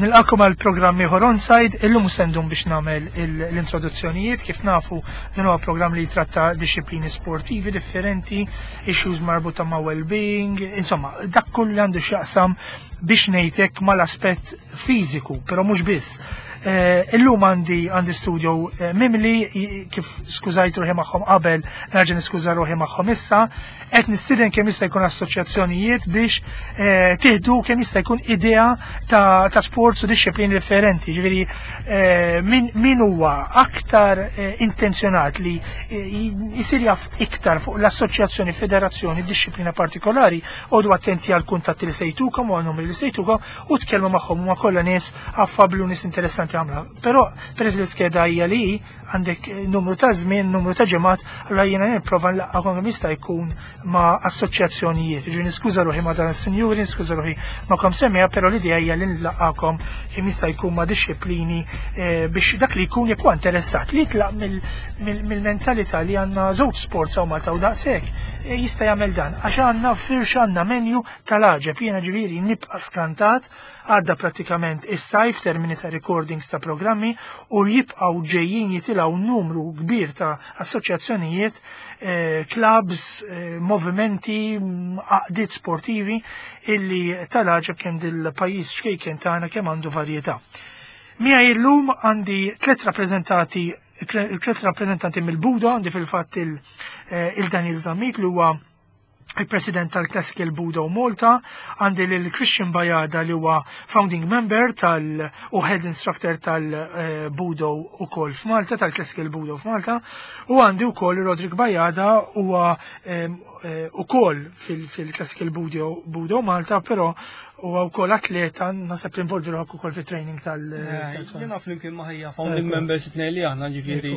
Nilqakom għal programm ieħor onside, illum sendum biex nagħmel l-introduzzjonijiet kif nafu din huwa programm li jitratta disċiplini sportivi differenti, issues marbuta ma' well-being, insomma, dak kull li għandu x'jaqsam biex ngħidlek mal-aspett fiżiku, però mhux biss. Eh, illum għandi għandi studio eh, mimli kif skużajt ruħi magħhom qabel, nerġa' niskuża ruħi magħhom issa, qed nistieden kemm jista' jkun assoċjazzjonijiet biex eh, tieħdu kemm jista' jkun idea ta', ta sports u disċiplini differenti. Ġifieri min, min huwa aktar intenzjonat li jisir jaf iktar fuq l-assoċjazzjoni, federazzjoni, disċiplina partikolari, għodu attenti għal kuntatti li sejtukom u għal numri li sejtukom u tkellmu magħhom huma kollha nies affabbli u nies interessanti għamla. Però peress li skeda hija li għandek eh, numru ta' żmien, numru ta' ġimgħat, allura jiena nipprova nlaqqakom kemm jista' jkun ma' assoċjazzjonijiet. Ġifieri niskuża ruħi ma' dan is-sinjuri, niskuża ruħi ma' kom semmija, però l-idea hija li nlaqqakom kemm jista' jkun ma' disċiplini eh, biex dak li jkun jekk huwa interessat li jitlaq mill-mentalità li għandna żewġ sports hawn Malta u daqshekk eh, jista' jagħmel dan għax għandna firxa għandna menu tal-għaġeb, jiena ġifieri nibqa' skantat, għadda prattikament is-sajf termini ta' recordings ta' programmi u jibqgħu ġejjin jitilgħu numru kbir ta' assoċjazzjonijiet, eh, clubs, eh, movimenti, għaqdiet sportivi illi tal-għaġeb kemm dil-pajjiż xkejken tagħna kemm għandu varjetà. Miegħi illum għandi tliet rappreżentati tliet rappreżentanti mill-Buda, għandi fil-fatt eh, il-Daniel Zammit li huwa il-president tal-Classical Budo Malta, għandi lil Christian Bajada li huwa founding member tal u head instructor tal-Budo u kol f'Malta, tal-Classical Budo f'Malta, u għandi u kol Rodrik Bajada huwa eh, u kol fil-Classical Budo, Budo Malta, pero huwa wkoll atleta naħseb tinvolvi ruħek ukoll fit-training tal- eh, Jiena flimkien ma' ħajja founding members it-tnejn li aħna ġifieri.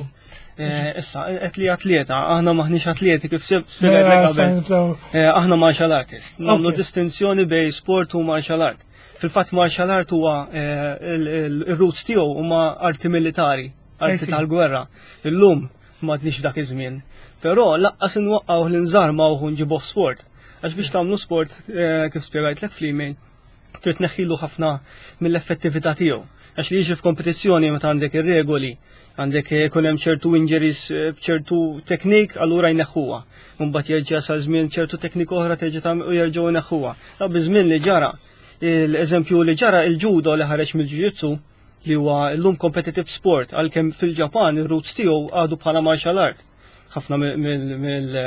Eh, issa, qed li atleta, aħna maħniex atleti kif spjegajtlek qabel. Eh, aħna martial artist. Nagħmlu distinzjoni bej sport u martial art. Fil-fatt martial art huwa eh, il-roots tiegħu huma arti militari, arti tal-gwerra. Illum m'għadniex dak iż-żmien. Però laqqas inwaqqgħu l-inżarma u nġibuh sport. Għax biex tagħmlu sport kif spjegajtlek fl-email, trid tneħħilu ħafna mill-effettività tiegħu. Għax li jiġri f'kompetizzjoni meta għandek ir-regoli, għandek ikun hemm ċertu injuries eh, b'ċertu teknik, allura jneħħuha. Mbagħad jerġa' sal żmien ċertu teknik oħra terġa' tagħmel u jerġgħu jneħħuha. Ta' biż-żmien li ġara, l-eżempju li ġara il-ġudo li ħareġ mill-ġujitsu li huwa llum competitive sport għalkemm fil-Ġapan ir-roots tiegħu għadu bħala martial art. Ħafna mill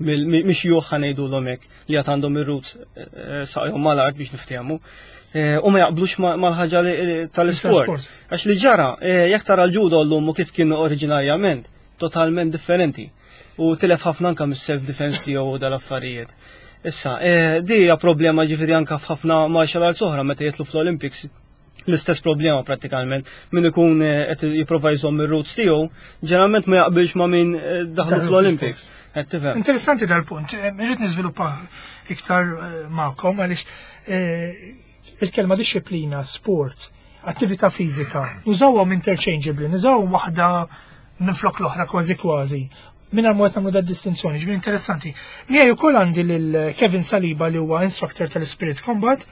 mix-xjuħ ħa ngħidulhom hekk li għad għandhom ir-roots eh, eh, saqajhom mal-art biex niftehmu. Eh, u ma jaqblux mal-ħaġa tal-isport. Għax li ġara, jekk tara l-ġudo llum u kif kien oriġinarjament, totalment differenti. U tilef ħafna anka mis-self defense tiegħu u dal-affarijiet. Issa, di hija problema ġifieri anka f'ħafna martial arts oħra meta jitlu fl-Olympics l-istess problema prattikalment. Min ikun eh, qed jipprova jżomm ir-roots tiegħu, ġeneralment ma jaqbilx ma' min eh, daħlu fl-Olympics. Qed tifhem. Interessanti dal-punt, eh, irrid niżviluppa iktar magħkom għaliex il-kelma disċiplina, sport, attività fiżika, nużawhom interchangeably, nużawhom waħda minn flok l-oħra kważi kważi. Minn ma qed nagħmlu da distinzjoni, ġifieri interessanti. Miegħi wkoll għandi lil Kevin Saliba li huwa instructor tal-Spirit Combat.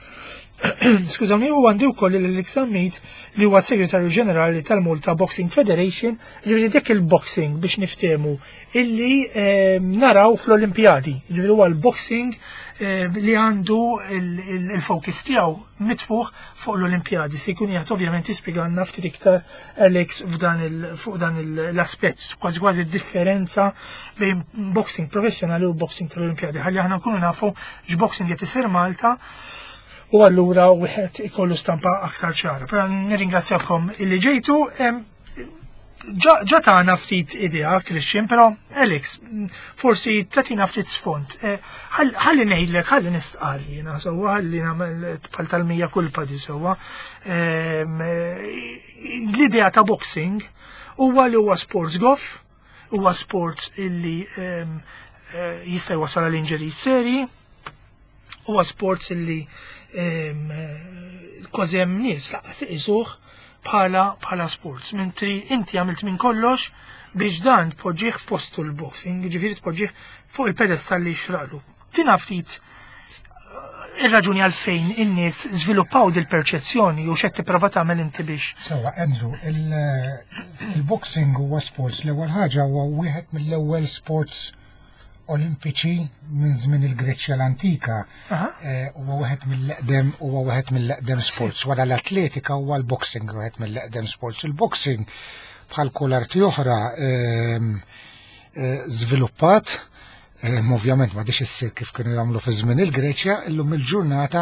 Skużawni, u għandi wkoll lil Alex Zammit li huwa segretarju ġenerali tal-Malta Boxing Federation, ġifieri dik il-boxing biex niftehmu illi ehm, naraw fl-Olimpjadi. Ġifieri huwa l-boxing ehm, li għandu il-focus tiegħu mitfuħ fuq l-Olimpjadi. Se jkun qiegħed ovvjament jispjegalna ftit iktar Alex f'dan fuq dan l-aspett, kważi kważi differenza bejn boxing professjonali u boxing tal-Olimpjadi. Ħalli aħna nkunu nafu x'boxing qed isir Malta u allura wieħed ikollu stampa aktar ċara. Però nirringrazzjakom illi ġejtu. Ġa tagħna ftit idea, Christian, però Alex, forsi tatina ftit sfond. Eh, ħalli ngħidlek, ħalli nistqar jiena sewwa, ħalli nagħmel bħal tal-mija kulpa di sewwa. Ehm, l-idea ta' boxing huwa li huwa sports goff, huwa sports illi ehm, eh, jista' jwassal għal injuries seri, huwa sports illi ehm, kważi hemm nies laqas iqisuh bħala bħala sports. Mentri inti għamilt minn kollox biex dan tpoġġih f'postu l-boxing, ġifieri tpoġġih fuq il-pedestal li jixraqlu. Tina ftit eh, Ir-raġuni għalfejn in-nies żviluppaw dil-perċezzjoni u x'qed tipprova tagħmel inti biex. Sewa, Andrew, il-boxing huwa sports l-ewwel ħaġa huwa wieħed mill-ewwel sports olimpiċi minn żmien il-Greċja l-antika. Huwa wieħed mill-eqdem huwa wieħed mill-eqdem sports. Wara l-atletika huwa l-boxing wieħed mill-eqdem sports. Il-boxing bħal kull arti oħra żviluppat. Ovvjament ma issir kif kienu jagħmlu fi żmien il-Greċja, illum il-ġurnata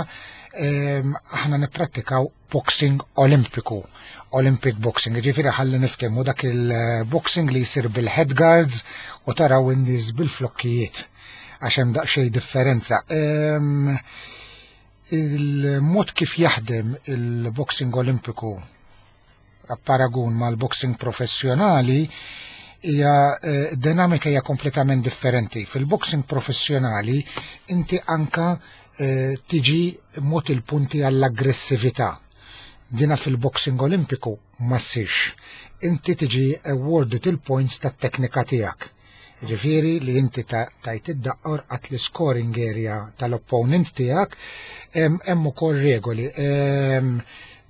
aħna nipprattikaw boxing olimpiku, Olympic boxing, ġifieri ħalli niftehmu dak il-boxing li jsir bil-head guards u taraw in-nies bil-flokkijiet għax hemm daqsxejn differenza. Il-mod kif jaħdem il-boxing olimpiku paragun mal-boxing professjonali hija dinamika hija kompletament differenti. Fil-boxing professjonali inti anka tiġi mod il-punti għall-aggressività. Dina fil-boxing olimpiku ma ssirx. Inti tiġi awarded il-points tat-teknika tiegħek. Ġifieri li inti tajt id-daqqor għat l-scoring area tal-opponent tiegħek, hemm ukoll regoli.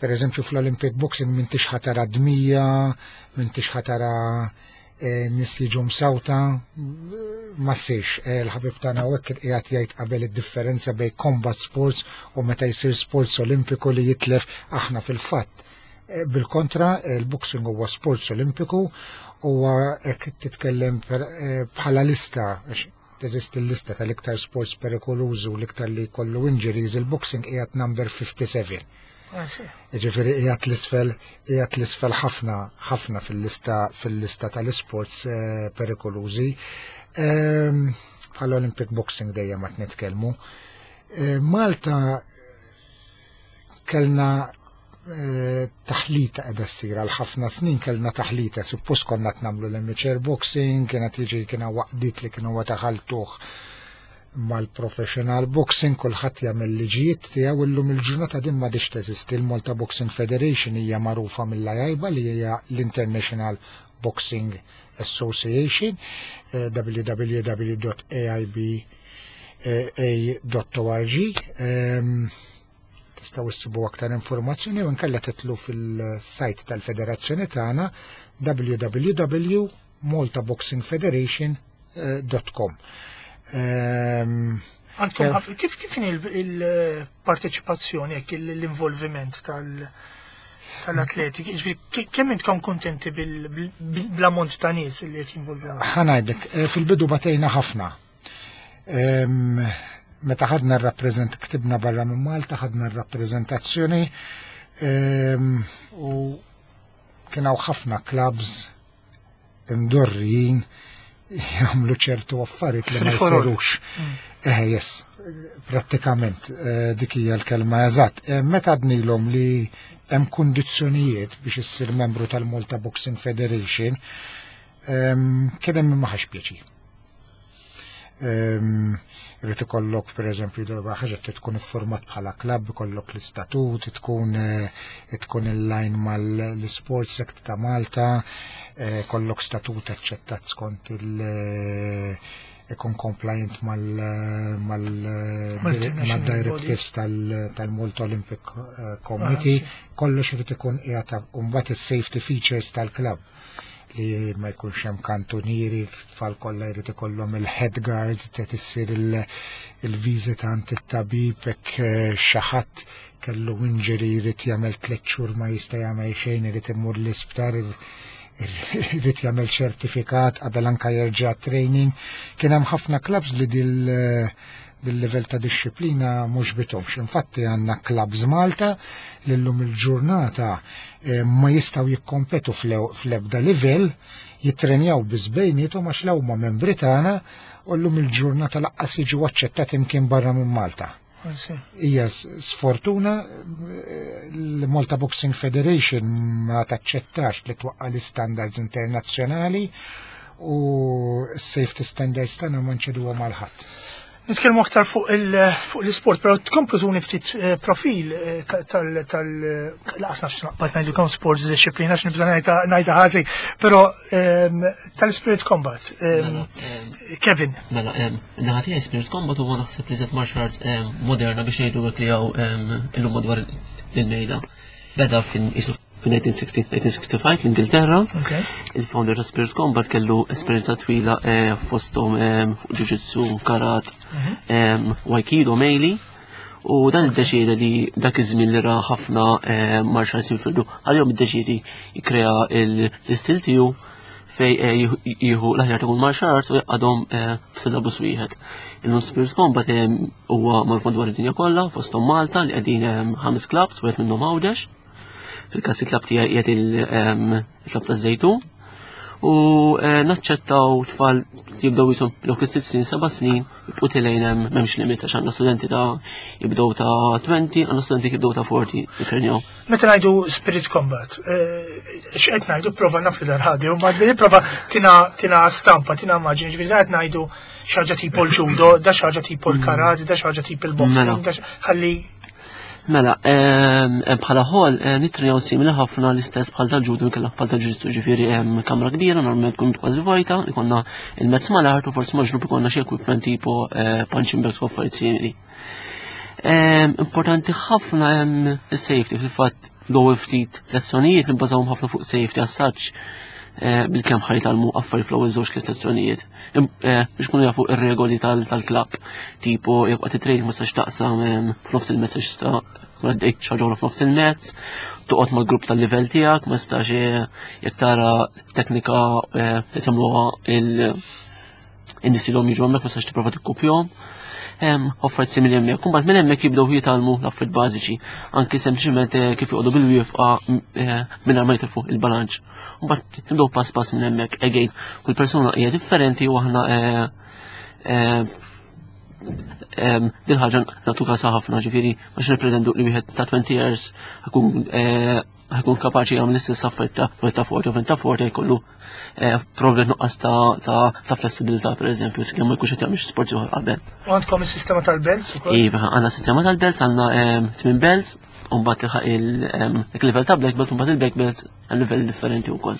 Per eżempju fl-Olympic Boxing m'intix ħa tara dmija, m'intix ħa tara nies jiġu msawta, ma ssirx. Il-ħabib tagħna hawnhekk qiegħed jgħid qabel id-differenza bejn combat sports u meta jsir sports olimpiku li jitlef aħna fil-fatt. Bil-kontra, il-boxing huwa sports olimpiku u hekk titkellem bħala lista, għax teżisti l-lista tal-iktar sports perikolużi u l-iktar li jkollu injuries, il-boxing qiegħed number 57. Ġifieri qiegħed l-isfel ħafna, ħafna fil-lista tal-sports perikolużi. Bħal Olympic Boxing dejjem ma nitkellmu. Malta kellna taħlita qiegħda ssir għal ħafna snin, kellna taħlita, suppost konna qed nagħmlu l-amateur boxing, kienet jiġi kiena waqdiet li kienu taħaltuh mal-professional boxing, kulħadd jagħmel liġijiet tiegħu. Illum il-ġurnata din m'għadix teżisti. Il-Malta Boxing Federation hija magħrufa mill-AIBA li hija l-International Boxing Association, www.aiba.org. Tistgħu issibu aktar informazzjoni u nkella titlu fil-sajt tal-Federazzjoni tagħna www.maltaboxingfederation.com. Għandkom kif il-parteċipazzjoni, hekk l-involviment tal-atleti, ġifieri, kemm intkom kontenti bl-ammont ta' nies li qed jinvolvu? Ħa ngħidlek, fil-bidu batejna ħafna. Meta ħadna r-rappreżent, ktibna barra minn Malta, ħadna r-rappreżentazzjoni u kien hawn ħafna clubs imdorrijin jagħmlu ċertu affarijiet li ma Free for all. jsirux. Yes, prattikament dik hija l-kelma eżatt. Meta għednielhom li hemm kundizzjonijiet biex issir membru tal-Malta Boxing Federation, kien hemm ma ħax pjaċir. Irid ikollok per eżempju darba ħaġa trid tkun iffurmat bħala klabb, ikollok l-istatut, tkun in-line mal-Sports Act ta' Malta, kollok statut aċċettat skont ikun compliant Mal-international mal-directives tal-Malta Olympic Committee, kollox irid ikun qiegħed u mbagħad is-safety features tal-klabb li ma jkunx hemm kantunieri, tfal kollha jrid ikollhom il-head guards, qed issir il-viżita għand it-tabib hekk xi ħadd kellu injury jrid jagħmel 3 xhur ma jista' jagħmel xejn, irid imur l-isptar, irid jagħmel ċertifikat qabel anka jerġa' training. Kien hemm ħafna clubs li dil-level ta' disċiplina mhux bithomx. Infatti għandna clubs Malta li llum il-ġurnata ma jistgħu jikkompetu fl-ebda livell, jittrenjaw biss bejniethom għax law ma membri tagħna u llum il-ġurnata laqqas jiġu aċċettati imkien barra minn Malta. Hija sfortuna l-Malta Boxing Federation ma taċċettax li twaqqa l-standards internazzjonali u s-safety standards tagħna ma nċeduhom għal ħadd. Nitkellmu aktar fuq l-isport, però tkomplu tuni ftit eh, profil eh, tal tal laqas nafx naqbad ngħidilkom sports disciplina għax nibża' ngħidha ħażin, però ehm, tal-Spirit Combat. Ehm, mela, ehm, Kevin. Mela, naħa tiegħi Spirit Combat huwa naħseb li żed martial arts moderna biex ngħidu hekk li hawn illum madwar il-mejda. Beda fin Fin-1960-1965 l-Ingilterra, il-founder ta' Spirit Combat kellu esperjenza twila eh, fosthom eh, fuq jiu-jitsu, karat, mhm. aikido, meili. U dan iddeċieda li dak iż-żmien li ra ħafna eh, martial arts jinfirdu, għalihom iddeċiedi jikkrea l-istil tiegħu fej jieħu l-aħjar ta' kull martial arts u jaqadhom f'syllabus wieħed. Illum Spirit Combat huwa magħruf madwar id-dinja kollha fosthom Malta li qegħdin ħames clubs wieħed minnhom Għawdex. Fil-każ il-klab tiegħi qiegħed il-klab taż-Żejtun. U eh, naċċettaw tfal jibdew jisom dawk is-sitt snin, seba' snin, jibqu tilejn hemm m'hemmx limit għax għandna studenti ta' jibdew ta' 20, għandna studenti jibdew ta' 40 jitrenjaw. Meta ngħidu spirit combat, eh, x'qed ngħidu prova naf li dal-ħadi, u mbagħad prova tina tina stampa, tina immaġini, ġifieri qed ngħidu xi ħaġa tipo l-judo, da xi ħaġa tipo l-karate, da xi ħaġa tipo l-boxing, mela. da ħalli Mela, bħala ħol eh, nitrenjaw simili ħafna l-istess bħal tal-ġudu nkella bħal tal-ġuġitsu ġifieri hemm kamra kbira normalment tkun kważi vojta, ikonna il-mezz mal-art u forsi maġnub ikonna xi equipment tipo eh, punching bags u affarijiet simili. Importanti ħafna hemm is-safety fil-fatt l-ewwel ftit lezzjonijiet nibbażawhom ħafna fuq safety as such eh, bil-kemm ħajt għalmu affarijiet fl-ewwel żewġ tliet lezzjonijiet. Eh, biex kunu jafu ir-regoli tal-klabb, tipo jekk waqt it-training ma tistax taqsam eh, f'nofs il-mezz għax tista' tkun għaddej xaġora f'nofs il-mezz, toqgħod mal-grupp tal-livell tiegħek, ma tistax eh, jekk tara teknika li tagħmluha il-nies li jiġu hemmhekk ma tistax tipprova tikkupjhom. Affarijiet simili hemmhekk. Imbagħad minn hemmhekk jibdew jitgħallmu l-affarijiet bażiċi, anki sempliċement kif joqogħdu bil-wieqfa mingħajr ma jitilfu il-balanċ. Mbagħad nibdew pass pass minn hemmhekk again kull persuna hija differenti u aħna eh, eh, din ħaġa nagħtu kasa ħafna ġifieri għax nippretendu li wieħed ta' 20 years ħakun eh, kapaċi jagħmel l-istess affarijiet ta' wieħed ta' 40 u ta' 40 jkollu problem nuqqas ta' flessibilità pereżempju sakemm ma jkunx qed jagħmel xi sport ieħor qabel. U għandkom is-sistema tal-belts ukoll? Iva, għandna sistema tal-belts, għandna tmien belts, u mbagħad tilħaq il-level ta' black belt u mbagħad il-black belt għal livell differenti wkoll.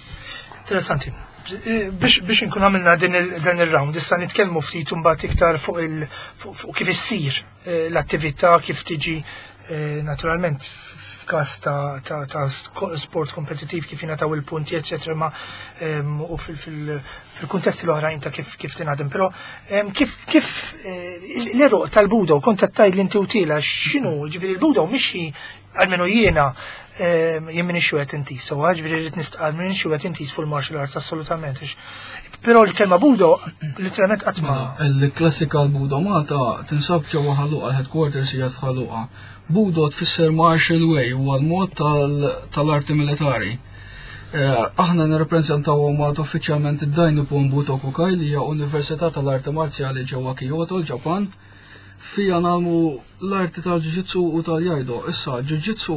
Interessanti. Biex biex inkun għamilna dan ir-round, issa nitkellmu ftit imbagħad iktar fuq il fuq kif issir eh, l-attività, kif tiġi eh, naturalment f'każ ta', ta, ta sport kompetittiv kif jingħataw il-punti, eċetera, ma ehm, u fil-kuntesti l-oħrajn ta' kif kif tingħadem. Però ehm, kif kif eh, l-eruq tal-budo kont qed tgħid li inti utila x'inhu, ġifieri l-budo mhix Almenu jiena ehm, jien minix wieħed intis, so ġifieri rrid nistqar minix wieħed intis fuq il-martial arts assolutament. Però l-kelma budo literalment qatt ma. Mela, il-klassika l-budo Malta tinsab ġewwa Ħalluqa, l-headquarters hija f'Ħalluqa. Budo tfisser martial way huwa l-mod tal-arti militari. Eh, aħna nirrappreżentaw Malta uffiċjalment id-Dai Nippon Butokukai li hija Università tal-Arti Marzjali ġewwa Kyoto, l-Ġapan. Fija nagħmlu l-arti tal-jiu-jitsu u tal-jaido. Issa, jiu-jitsu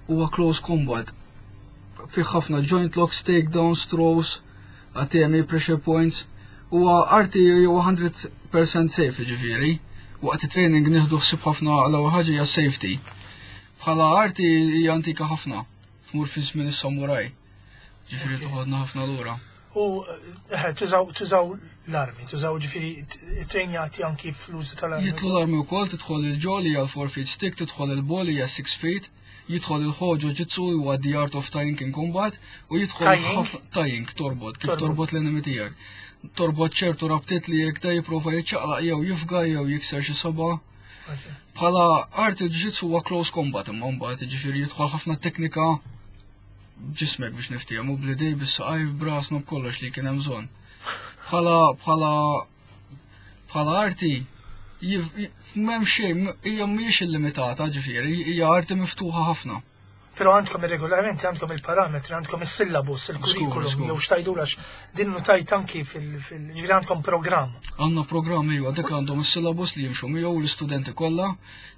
huwa close combat. Fih ħafna joint locks, takedowns, throws, atemi, pressure points. Huwa arti huwa 100% safe ġifieri. Waqt it-training nieħdu ħsieb ħafna l-ewwel ħaġa hija safety. Bħala arti hija antika ħafna. Tmur fi żmien is-samuraj. Ġifieri toħodna ħafna lura. U eh, tużaw tużaw l-armi, tużaw ġifieri trejnjati anki fl-użu tal-armi. Jidħlu l-armi wkoll, tidħol il-ġol hija l-4 feet stick, tidħol il-ball hija 6 feet, jidħol il-ħoġo ġitsu huwa the art of tying in combat u jidħol tying torbot, kif torbot l-enemy tiegħek. Torbot ċertu rabtiet li jekk da jipprova jiċċaqlaq jew jifga jew jikser xi saba. Bħala art il-ġitsu huwa close combat imma mbagħad jiġifieri jidħol ħafna teknika b'ġismek biex niftehmu bl-idej bis-saqaj b'rasna b'kollox li kien hemm bżonn. Bħala bħala bħala arti m'hemm xejn hija mhijiex illimitata ġifieri, hija arti miftuħa ħafna. Però għandkom ir-regolamenti, għandkom il-parametri, għandkom is-syllabus, il-kurrikulum, jew x'tajdulax din notajt anki fil-ġifieri għandkom programm. Għandna programm iva, dik għandhom is-syllabus li jimxu miegħu l-istudenti kollha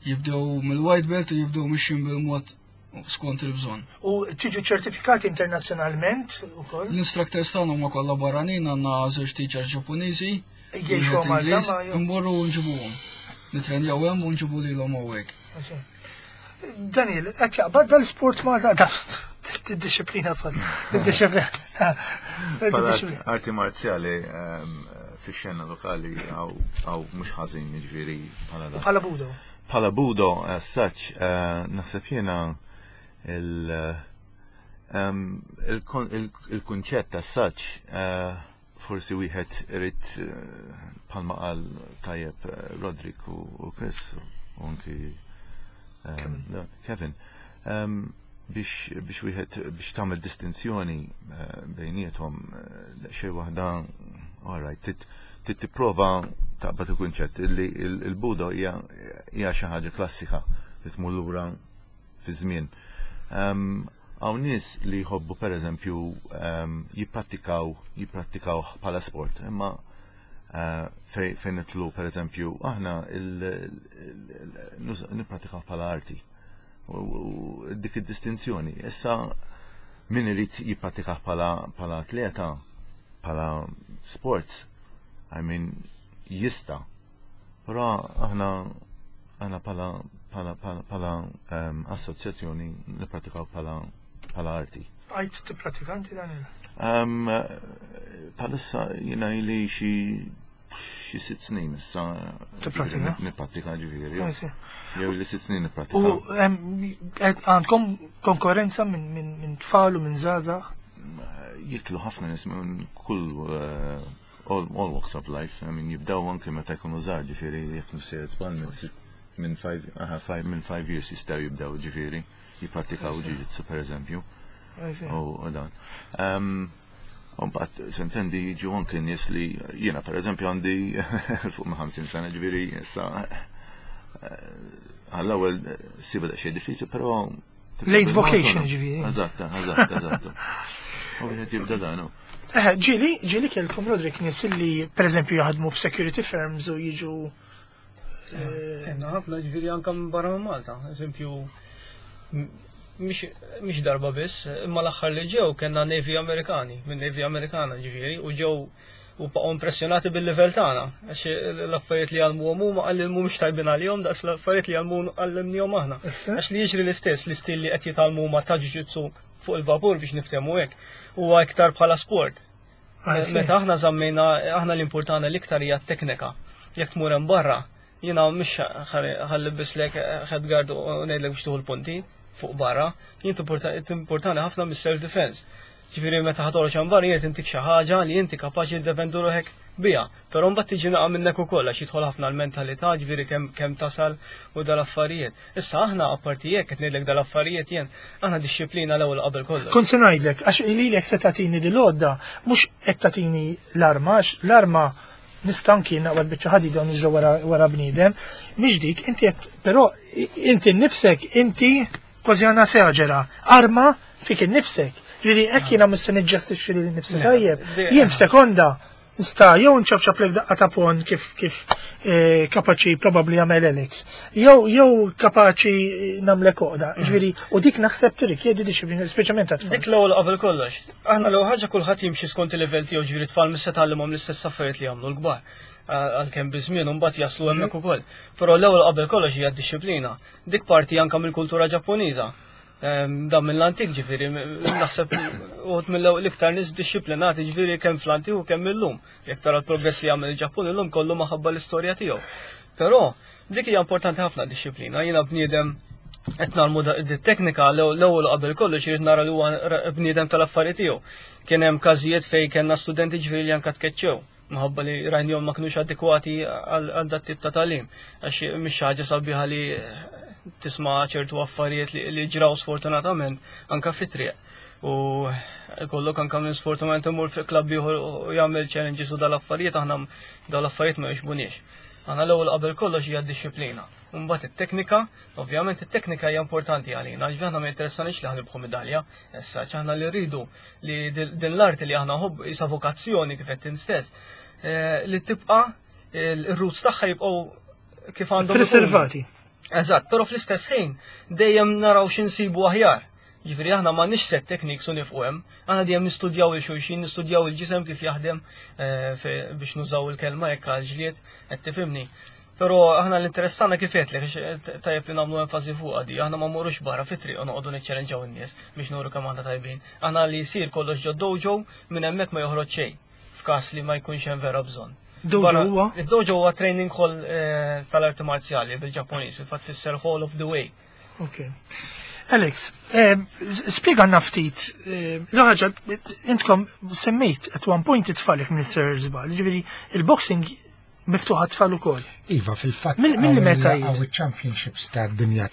jibdew mill-white belt u jibdew mixjin bil-mod skont il-bżonn. U tiġu ċertifikati internazzjonalment ukoll? L-instructors tagħna huma kollha barranin għandna żewġ teachers Ġappuniżi. Jgħixu Malta ma Immorru nġibuhom. Nitrenjaw hemm u nġibu lilhom hawnhekk. Daniel, qed jaqbad dal-sport Malta Id-disciplina sod. Id-disciplina. Arti marzjali ehm, fix-xena lokali għaw mhux ħażin jiġifieri bħala dan. Bħala budo. Bħala budo as such, eh, naħseb jiena il- ehm, il-kunċett as such eh, forsi wieħed irid eh, bħalma qal tajjeb eh, Rodrik u Chris u anki ehm, Kevin ehm, biex biex wieħed biex tagħmel distinzjoni eh, bejniethom xejn waħda alright trid tipprova taqbad il-kunċett illi il-budo hija xi ħaġa klassika li tmur lura fi żmien. Ehm, hawn nies li jħobbu pereżempju ehm, jipprattikaw jipprattikaw bħala sport, imma eh, fejn nitlu pereżempju aħna nipprattikaw bħala arti. U dik id-distinzjoni. Issa min irid jipprattikaw bħala atleta, bħala sports, I mean, jista' Però aħna aħna bħala bħala bħala ehm, assoċjazzjoni nippratikaw bħala bħala arti. Għajt tippratika inti Daniel? Ehm, bħalissa jiena ili xi xi sitt snin issa. Tipprattika? Nipprattika ġifieri. Jew li sitt snin nipprattika. U ehm, għandkom konkurrenza minn tfal u minn żgħażagħ? Jitlu ħafna nies minn kull eh, all, all walks of life, I mean, jibdaw anke meta jkunu żgħar, ġifieri jekk mhux sejjer żball minn five, aha, five, minn five years jistgħu jibdew ġifieri jipprattikaw jiu-jitsu pereżempju. U dan. Um, Mbagħad sentendi jiġu anke nies li jiena pereżempju għandi fuq ma' 50 sena ġifieri issa eh, għall-ewwel siba daqsxejn diffiċli, però Late vocation ġifieri. Eżatt, eżatt, eżatt. U wieħed jibda dan. Eh, ġili, ġili kellkom Rodrik nies li pereżempju jaħdmu f'security firms u jiġu eh, Kenna ħafna ġifieri anke minn barra minn Malta. Eżempju, mhix darba biss, imma l-aħħar li ġew kellna Navy Amerikani, minn Navy Amerikana ġifieri, u ġew u baqgħu impressjonati bil-livell tagħna għax l-affarijiet li għallmuhom huma qalli mhumiex tajbin għalihom daqs l-affarijiet li għallmu għallimnihom aħna. Għax li jiġri l-istess l-istil li qed jitgħallmu huma ta' jiu-jitsu fuq il-vapur biex niftehmu hekk huwa iktar bħala sport. Meta aħna żammejna aħna l-importana l-iktar hija t-teknika. Jekk tmur hemm barra, jiena mhux ħalli bislek headguard u ngħidlek biex tieħu l-punti fuq barra, jien importani ħafna mis-self defense. Ġifieri meta ħa toħroġ hemm barra jien intik xi ħaġa li inti kapaċi tiddefendu ruħek biha. Però mbagħad tiġi naqa' minnek ukoll għax jidħol ħafna l-mentalità, ġifieri kemm kemm tasal u dal-affarijiet. Issa aħna apparti hekk qed ngħidlek dal-affarijiet jien, aħna dixxiplina l-ewwel qabel kollox. Kont se ngħidlek, għax lilek se tagħtini dil-għodda, mhux qed tagħtini l-arma, għax l-arma nista' anki naqbad biċċa ħadida u niġri wara wara bniedem, mhix dik, inti qed però inti nnifsek inti Kważi għandna seġera, arma fik innifsek. Ġifieri hekk jiena mhux se niġġestixxi lili nnifsi tajjeb. Jien f'sekonda nista' jew nċapċaplek daqqa ta' pon kif kif eh, kapaċi probabbli jagħmel Alex. Jew jew kapaċi nagħmlek oqda. Mm. Ġifieri u dik naħseb tirrikjedi disciplina speċjalment ta' Dik l-ewwel qabel kollox. Aħna l ħaġa kulħadd jimxi skont il-livell tiegħu ġifieri tfal mis se tgħallimhom l-istess affarijiet li jagħmlu l-kbar għalkemm biż-żmien u mbagħad jaslu hemmhekk ukoll. Però l-ewwel qabel kollox hija d-disciplina. Dik parti anka mill-kultura Ġappuniża. Ehm, dan mill-antik ġifieri, naħseb uħud mill-iktar nies dixxiplinati ġifieri kemm fl-antik u kemm illum. Jekk tara l-progress li jagħmel il-Ġappun illum kollu maħabba l-istorja tiegħu. Però dik hija importanti ħafna dixxiplina. Jiena bniedem qed nagħmlu teknika l-ewwel qabel kollox irid nara li huwa bniedem tal-affari tiegħu. Kien hemm każijiet fejn kellna studenti ġifieri li anka tkeċċew Minħabba li rajnihom ma kinux adekwati għal dat tip ta' tagħlim. Għax mhix xi ħaġa sabiħa li tisma' ċertu affarijiet li ġraw sfortunatament anka fit-triq. U kollok anka minn sfortunatament imur fi klabb ieħor u jagħmel challenges u dal-affarijiet aħna dal-affarijiet ma jixbuniex. Aħna l-ewwel qabel kollox hija d-disciplina. Mbagħad it-teknika, ovvjament it-teknika hija importanti għalina, għax aħna ma jinteressanix li ħanibħu medalja, issa aħna li rridu li din l-arti li aħna ħobb isa vokazzjoni kif qed stess, eh, li tibqa' il-roots tagħha jibqgħu kif għandhom. Preservati. Eżatt, però fl-istess ħin dejjem naraw x'insibu aħjar. Ġifieri aħna m'għandniex set techniques u nifqu hemm. Aħna dejjem nistudjaw il xulxin, nistudjaw il-ġisem kif jaħdem eh, biex nużaw il-kelma hekk għal ġlied, qed tifhimni. Però aħna l-interess tagħna kif għedtlek, eh, tajjeb li nagħmlu enfasi fuqha di, aħna ma mmorrux barra fit-triq u noqogħdu niċċellenġaw in-nies biex nuru kemm aħna tajbin. Aħna li jsir kollox ġo dojo minn hemmhekk ma joħroġ xejn f'każ li ma jkunx hemm vera bżonn. Dojo huwa? Id-dojo huwa training hall eh, tal-arti marzjali bil-Ġappuniż, fil-fatt fisser Hall of the Way. Ok. Alex, eh, spiega ftit, eh, l-ħaġa, intkom semmejt at one point it-tfal jek minister żball, ġifieri il-boxing miftuħ għat-tfal ukoll. Iva, fil-fatt. Mill meta għaw championships ta' dinja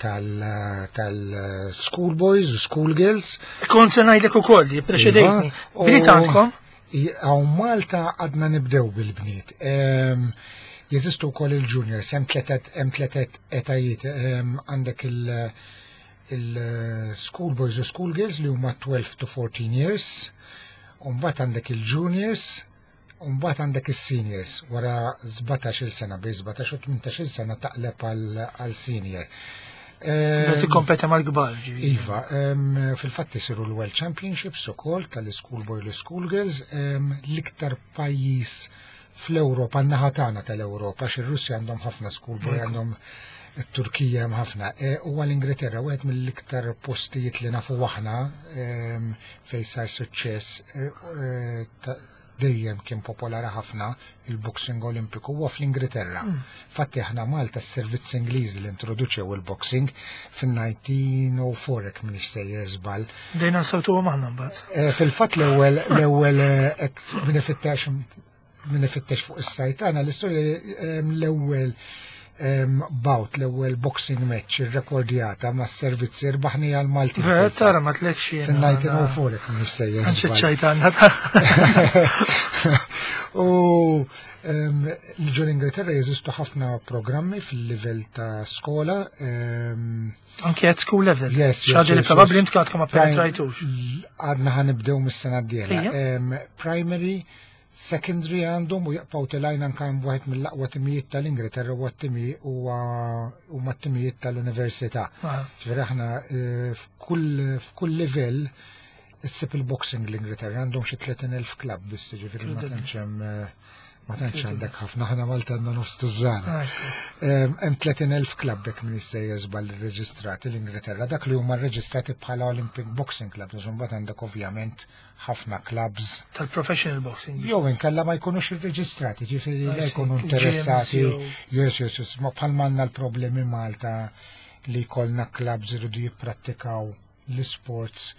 tal-school boys u school girls. Kont se ngħidlek ukoll, preċedejtni. Iva, Bniet għandkom? Hawn Malta għadna nibdew bil-bniet. Jeżistu wkoll il-juniors, hemm tletet etajiet, għandek il-school boys u school girls li huma 12 to 14 years, u mbagħad għandek il-juniors, u mbagħad għandek is-seniors wara 17-il sena, bejn 17 u 18-il sena taqleb għal senior. Meta tikkompeti mal-kbar. Iva, fil-fatt isiru l-World Championships ukoll tal-School Boy u School Girls, l-iktar pajjiż fl-Ewropa, n-naħa tagħna tal-Ewropa, għax ir-Russja għandhom ħafna schoolboy, għandhom it-Turkija hemm ħafna. E, huwa l-Ingilterra wieħed mill-iktar postijiet li nafu aħna fejn sar suċċess e, e, dejjem kien popolari ħafna il-boxing olimpiku huwa fl-Ingilterra. Fatti aħna Malta s-servizz Ingliż li introduċew il-boxing fin-1904 jekk m'iniex sejjer żball. Dejna nsawtu aħna mbagħad. Eh, fil-fatt l-ewwel l-ewwel eh, min ifittex min ifittex fuq is-sajt tagħna l-istorja eh, l-ewwel bout l-ewwel boxing match irrekordjata mas servizzi rbaħni għal Malti. Vera tara ma tlekx jien. Fin-1904 jekk m'iniex sejjer. Ċajtanna. U ġol Ingilterra jeżistu ħafna programmi fil-livell ta' skola. Anke at school level. Yes, Xaġa li probabbli intkom għadkom ma penetrajtux. Għadna ħanibdew mis-sena d-dieħla. Primary, secondary għandhom u jaqpaw telajn anka hemm wieħed mill-aqwa timijiet tal-Ingilterra u timi huma timijiet tal-università. Ah. Ġifieri aħna eh, f'kull livell issib il-boxing l-Ingilterra għandhom xi 30,000 klabb biss ġifieri ma tantx hemm eh, ma tantx għandek ħafna ħana Malta għandna nofs tużżana. Hemm 30,000 klabb jekk min jissejjer żball irreġistrati l-Ingilterra, dak li huma rreġistrati bħala Olympic Boxing Club, imbagħad għandek ovvjament ħafna clubs. Tal-professional boxing. Jew inkella ma jkunux irreġistrati, ġifieri li jkunu interessati. Yes, yes, yes, ma bħal manna l-problemi Malta li jkollna clubs iridu jipprattikaw l-sports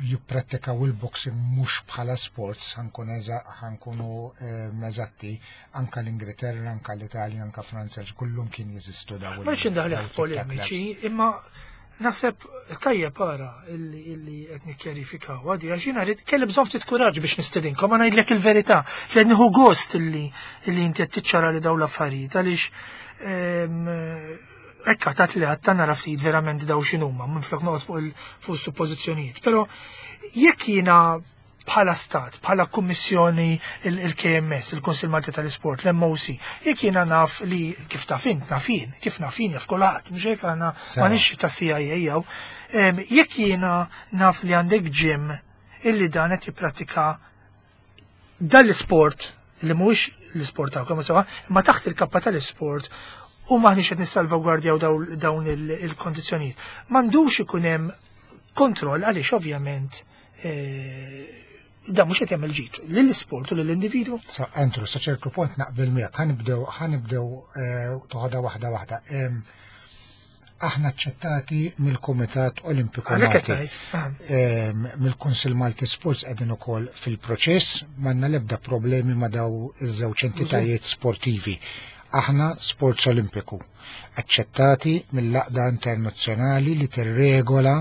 jipprattikaw il-boxing mhux bħala sports ħankunu eh, eżatti anka l-Ingilterra, anka l-Italja, anka Franza, kullum kien jeżistu dawn. Ma rridx indaħlek f'polemiċi, imma naħseb tajjeb ara illi qed nikkjarifikaw għadi għax jiena rrid kelli bżonn ftit kuraġġ biex nistedinkom ma ngħidlek il-verità li nieħu gost illi inti qed tiċċara li dawn l-affarijiet għaliex ehm, Ekka tat li għatta nara ftit verament daw x'inhuma minflok noqgħod fuq fuq suppożizzjonijiet. Però jekk jiena bħala stat, bħala kummissjoni il-KMS, il-Kunsil Malti tal-Isport, l-MOC, jekk jiena naf li kif taf int, naf jien, kif naf jien jaf kulħadd, mhux hekk aħna m'għandix ta' CIA jew, jekk jiena naf li għandek gym illi dan qed jipprattika dan l-isport li mhuwiex l-isport tagħkom sewa, imma taħt il-kappa tal-isport u maħniex qed nissalvagwardjaw dawn il-kondizzjonijiet. M'għandux ikun hemm kontroll għaliex ovvjament eh, dan mhux qed jagħmel ġid lill-isport u lill-individwu. Sa Andrew, sa ċertu punt naqbel miegħek, ħanibdew ħanibdew eh, toħodha waħda waħda. Aħna aċċettati mill-Kumitat Olimpiku Malti. Mill-Kunsill Malti Sports qegħdin ukoll fil-proċess, m'għandna l-ebda problemi ma' daw iż-żewġ entitajiet sportivi. Aħna Sports Olimpiku, aċċettati mill-Għaqda Internazzjonali li tirregola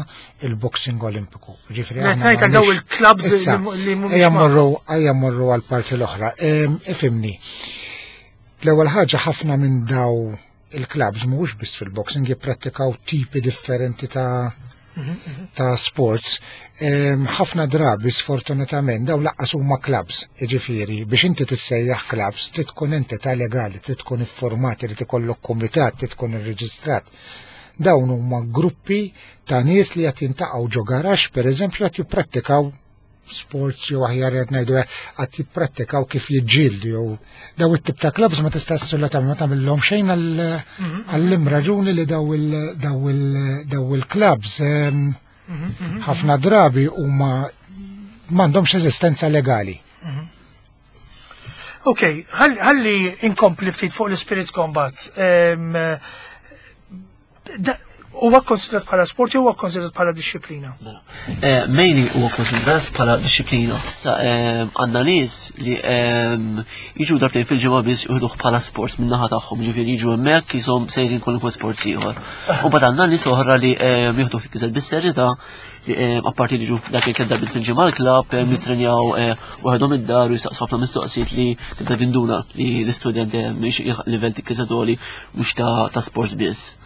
il-Boxing Olimpiku. Ġifieri aħna daw il-clubs li mhumiex. Ejja mmorru ejja mmorru għall-parti l-oħra. Ifhimni. L-ewwel ħaġa ħafna minn daw il-clubs mhux biss fil-boxing jipprattikaw tipi differenti ta' ta' sports. Ħafna drabi sfortunatament daw laqqas huma clubs, jiġifieri biex inti tissejjaħ clubs trid tkun entità legali, trid tkun iffurmat, irid ikollok kumitat, trid tkun irreġistrat. Dawn huma gruppi ta' nies li qed jintaqgħu ġo garaxx pereżempju qed jipprattikaw sports jew aħjar qed ngħidu qed jipprattikaw kif jiġġieldu jew daw it-tip ta' clubs ma tista' assolutament ma tagħmilhom xejn mhm. għall-im raġuni li daw il-clubs mhm, mhm, ħafna drabi huma m'għandhomx eżistenza legali. Ok, ħalli inkompli ftit fuq l-Spirit Combat. Huwa konsidrat bħala sport jew huwa konsidrat bħala disċiplina? Mela. Eh, mainly huwa konsidrat bħala disċiplina. Sa eh, għandna nies li eh, jiġu darbtejn fil-ġimgħa biss juħduh bħala sport min-naħa tagħhom, ġifieri jiġu hemmhekk jisom sejrin kwalunkwe sport ieħor. U bad għandna nies oħra li jieħduh iżgħar bis-serjetà apparti li ġu dak il darbiet fil-ġimgħa l-klabb jitrenjaw waħedhom id-dar u jistaqsu ħafna mistoqsijiet li tibda tinduna li l-istudent mhix livell tikkiżadoli mhux ta' sports biss.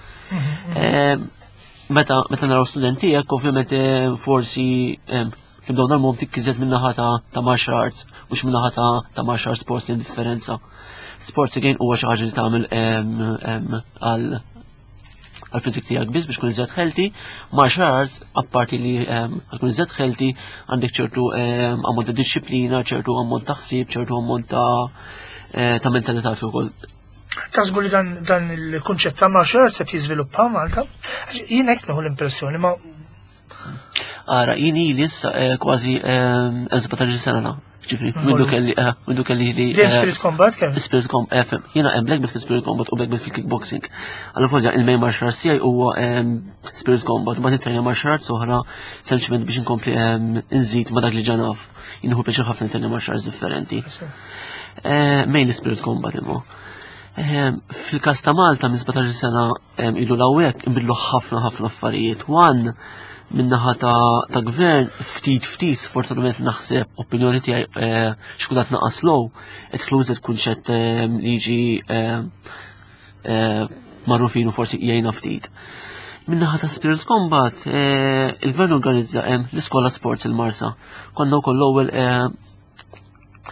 Meta meta naraw studenti hekk ovvjament forsi nibdew nagħmluhom tikkizet min-naħa ta' martial arts mhux min-naħa ta' martial arts sports li differenza. Sports again huwa xi ħaġa li tagħmel għal għal fizik tiegħek biss biex tkun iżjed healthy, martial arts apparti li tkun iżjed healthy għandek ċertu ammont ta' disċiplina, ċertu ammont ta' ħsieb, ċertu ammont ta' eh, ta' mentalità fi wkoll. Taħsbu li dan, dan il-kunċett ta' martial arts qed jiżviluppa Malta? Jien hekk nieħu l-impressjoni ma Ara, jien ili issa eh, kważi 17 eh, sena Ġifri, mindu kelli, eh, mindu kelli li. Din Spirit Combat kemm? Spirit Combat, eh, fem. Jiena hemm black belt fil-Spirit Combat u black belt fil-kickboxing. Allora folja il-main martial arts tiegħi huwa Spirit Combat, ma nitrenja martial arts oħra sempliċement biex inkompli nżid ma dak li ġanaf. Jien hu pjaċir ħafna nitrenja martial arts differenti. Eh, main Spirit Combat imma. Fil-każ ta' Malta minn 17 sena ilu l-hawnhekk inbidlu ħafna ħafna affarijiet. One, minnaħa ta', ta gvern ftit ftit sfortunatament naħseb opinjoni tiegħi eh, xkulat naqas low qed tlużet kunċett eh, li jiġi eh, magħrufin u forsi jgħinna ftit. Minnaħa ta' Spirit Combat, il-gvern organizza l-iskola sports il-Marsa. Konna wkoll l-ewwel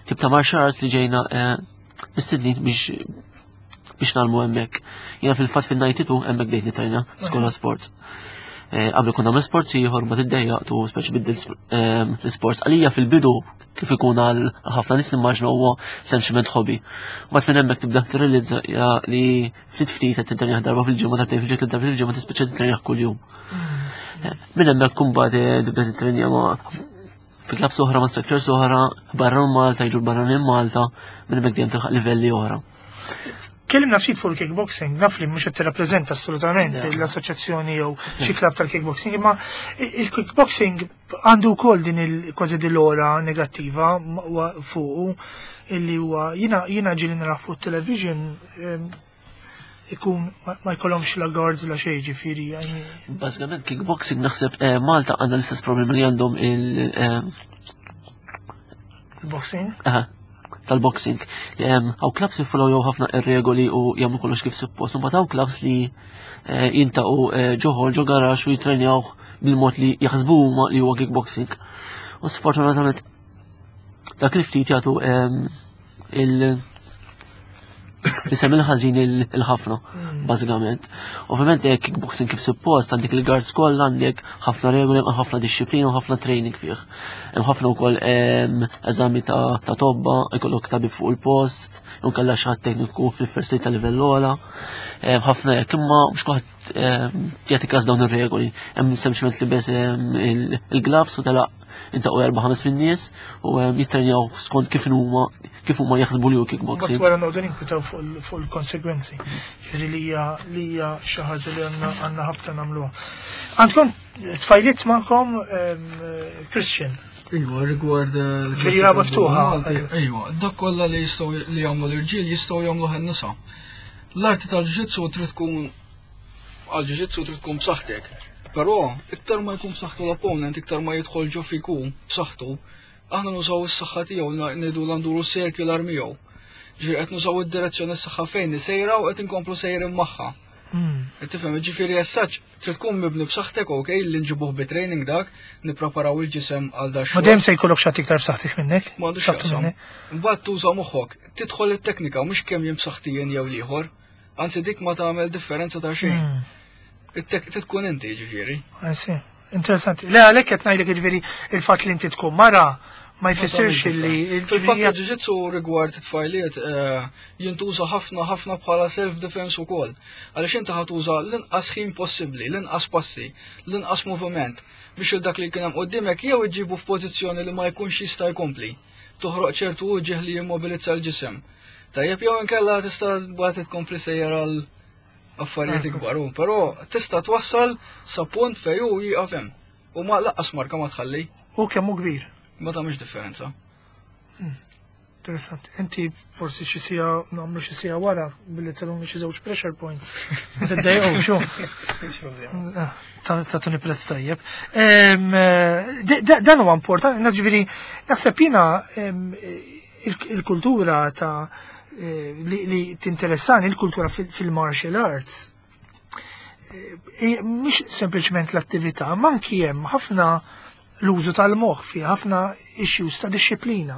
tip ta' martial arts li ġejna mistednin biex biex nagħmlu hemmhekk. Jiena fil-fatt fin-92 hemmhekk bdejt nitrejna skola sports. Eh, qabel konna nagħmel sports ieħor ma tiddejjaq tu speċi biddil eh, l-sports. Għalija fil-bidu kif ikun għal ħafna nies nimmaġna huwa sempliment hobby. Mbagħad minn hemmhekk tibda tirrealizza li ftit ftit qed titrenjaħ darba fil-ġimgħa darbtejn fil-ġimgħa darba fil-ġimgħa tispiċċa titrenjaħ kuljum. Mm. Eh, minn hemmhekk kumbat tibda titrenja ma' fi klabs oħra ma' sectors oħra, barra minn Malta, jiġu barra minn Malta, minn hemmhekk dejjem tilħaq livelli oħra. Kellimna ftit fuq il-kickboxing, naf li mhux qed tirrappreżenta assolutament l-assoċjazzjoni jew xi klabb tal-kickboxing, imma il-kickboxing għandu wkoll din il-kważi dil-ora negattiva fuqu illi huwa jiena jiena ġieli nara fuq television ikun ma jkollhomx la guards la xejn ġifieri. Bażikament kickboxing naħseb eh, Malta għandha l-istess problemi li għandhom il- eh, Il-boxing? Tal-boxing. Għaw clubs jiffollow ħafna ir-regoli u jagħmlu kollox kif suppost, u hawn clubs li eh, jintaqu ġoħol ġo garax u jitrenjaw bil-mod li jaħsbu huma li huwa kickboxing. U sfortunatament dak li ftit jagħtu il- Isem il-ħażin il-ħafna, hmm. bażikament. Ovvjament hekk kickboxing kif suppost għandek il-guards kollha għandek ħafna regoli, hemm ħafna disċiplina u ħafna training fih. Hemm ħafna wkoll eżami ta' tobba, ikollok tabib fuq il-post, jew kellha xi ħadd tekniku fil-first aid ta' livell ogħla. Ħafna hekk imma mhux kulħadd jagħti każ dawn ir-regoli. Hemm sempliċement li bes il-gloves u telaq intaqgħu erba' ħames min-nies u jittrenjaw skont kif huma kif huma jaħsbu li hu kickboxing. Wara noqogħdu ninkwitaw fuq il-konsegwenzi. Ġifieri li hija li hija xi ħaġa li għandna ħabta nagħmluha. Għandkom tfajliet magħkom Christian. Iwa, rigward. Eh, Ġifieri miftuħa. Iwa, dak kollha li jistgħu li jagħmlu l-irġiel jistgħu jagħmlu nisa. L-arti tal-ġitsu trid tkun għal ġiġitsu trid tkun b'saħħtek. Però iktar ma jkun b'saħħtu l-opponent, iktar ma jidħol ġo fiku b'saħħtu, aħna nużaw is-saħħa tiegħu ngħidu nduru circular miegħu. Ġifieri qed nużaw id-direzzjoni s-saħħa fejn sejra u qed inkomplu sejrin magħha. Hmm. Qed tifhem, ġifieri as such trid tkun mibni b'saħħtek, ok, li nġibuh bi training dak, nippreparaw il-ġisem għal dak. Ma dejjem se jkollok xi iktar b'saħħtek minnek. M'għandux x'jaqsam. Mbagħad tuża moħħok, tidħol it-teknika mhux kemm jien b'saħħti jien jew l-ieħor. Anzi dik ma tagħmel differenza ta' xejn. Hmm. Tkun inti ġifieri. I see. Interessanti. Le għalhekk qed ngħidlek ġifieri il-fatt li inti tkun mara ma jfissirx li. Fil-fatt il-ġiġitsu rigward it-tfajliet eh, jintuża ħafna ħafna bħala self-defense ukoll. Għaliex inti ħatuża l-inqas ħin possibbli, l-inqas passi, l-inqas moviment biex il dak li kien hemm qudiemek jew iġibu f'pożizzjoni li ma jkunx jista' jkompli. Toħroq ċertu uġieħ li jimmobilizza l-ġisem. Tajjeb jew inkella tista' bagħad tkompli sejjer għal affarijiet ikbar, però tista' twassal sa punt fejn hu jieqaf hemm. U ma laqqas marka ma tħalli. U kemm hu kbir. Ma tagħmilx differenza. Hmm. Interessanti. Inti forsi xi sija nagħmlu xi sija wara billi teluni xi żewġ pressure points. Ma tiddejqu xu. Ah, tuni prezz tajjeb. Eh, dan huwa importanti, ġifieri naħseb jiena il-kultura ta' eh, li tinteressani il-kultura fil-martial arts eh, mhix sempliċement l-attività, ma anki hemm ħafna l-użu tal-moħħ fi ħafna issues ta' disċiplina.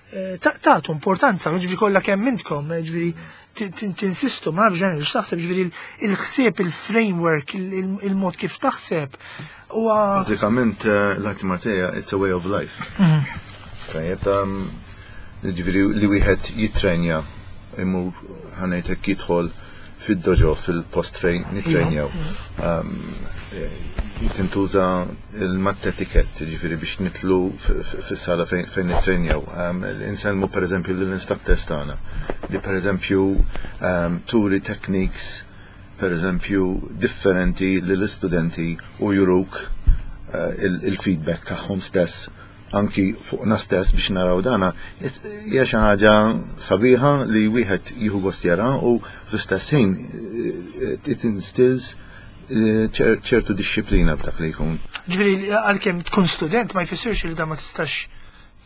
Eh, tagħtu importanza, ġifieri kollha kemm intkom, ġifieri tinsistu, ma nafx ġenerali x'taħseb ġifieri il-ħsieb, il-framework, il-mod kif taħseb. Bażikament l-arti marzija it's a way of life. Mhm. Tajjeb, ġifieri li wieħed jittrenja imur ħanejtek jidħol fid-dojo fil-post fejn nittrenjaw. Tintuża il-matt etiquette, ġifieri biex nitlu fis-sala fejn nittrenjaw. Insellmu pereżempju lill-instructors tagħna li pereżempju turi techniques pereżempju differenti lill-istudenti u juruk eh, il-feedback tagħhom stess anki fuqna stess biex naraw dana, hija xi ħaġa sabiħa li wieħed jieħu gost jara u fl-istess ħin eh, it instills eh, ċertu dixxiplina f'dak li jkun. Ġifieri għalkemm tkun student ma jfissirx li dan ma tistax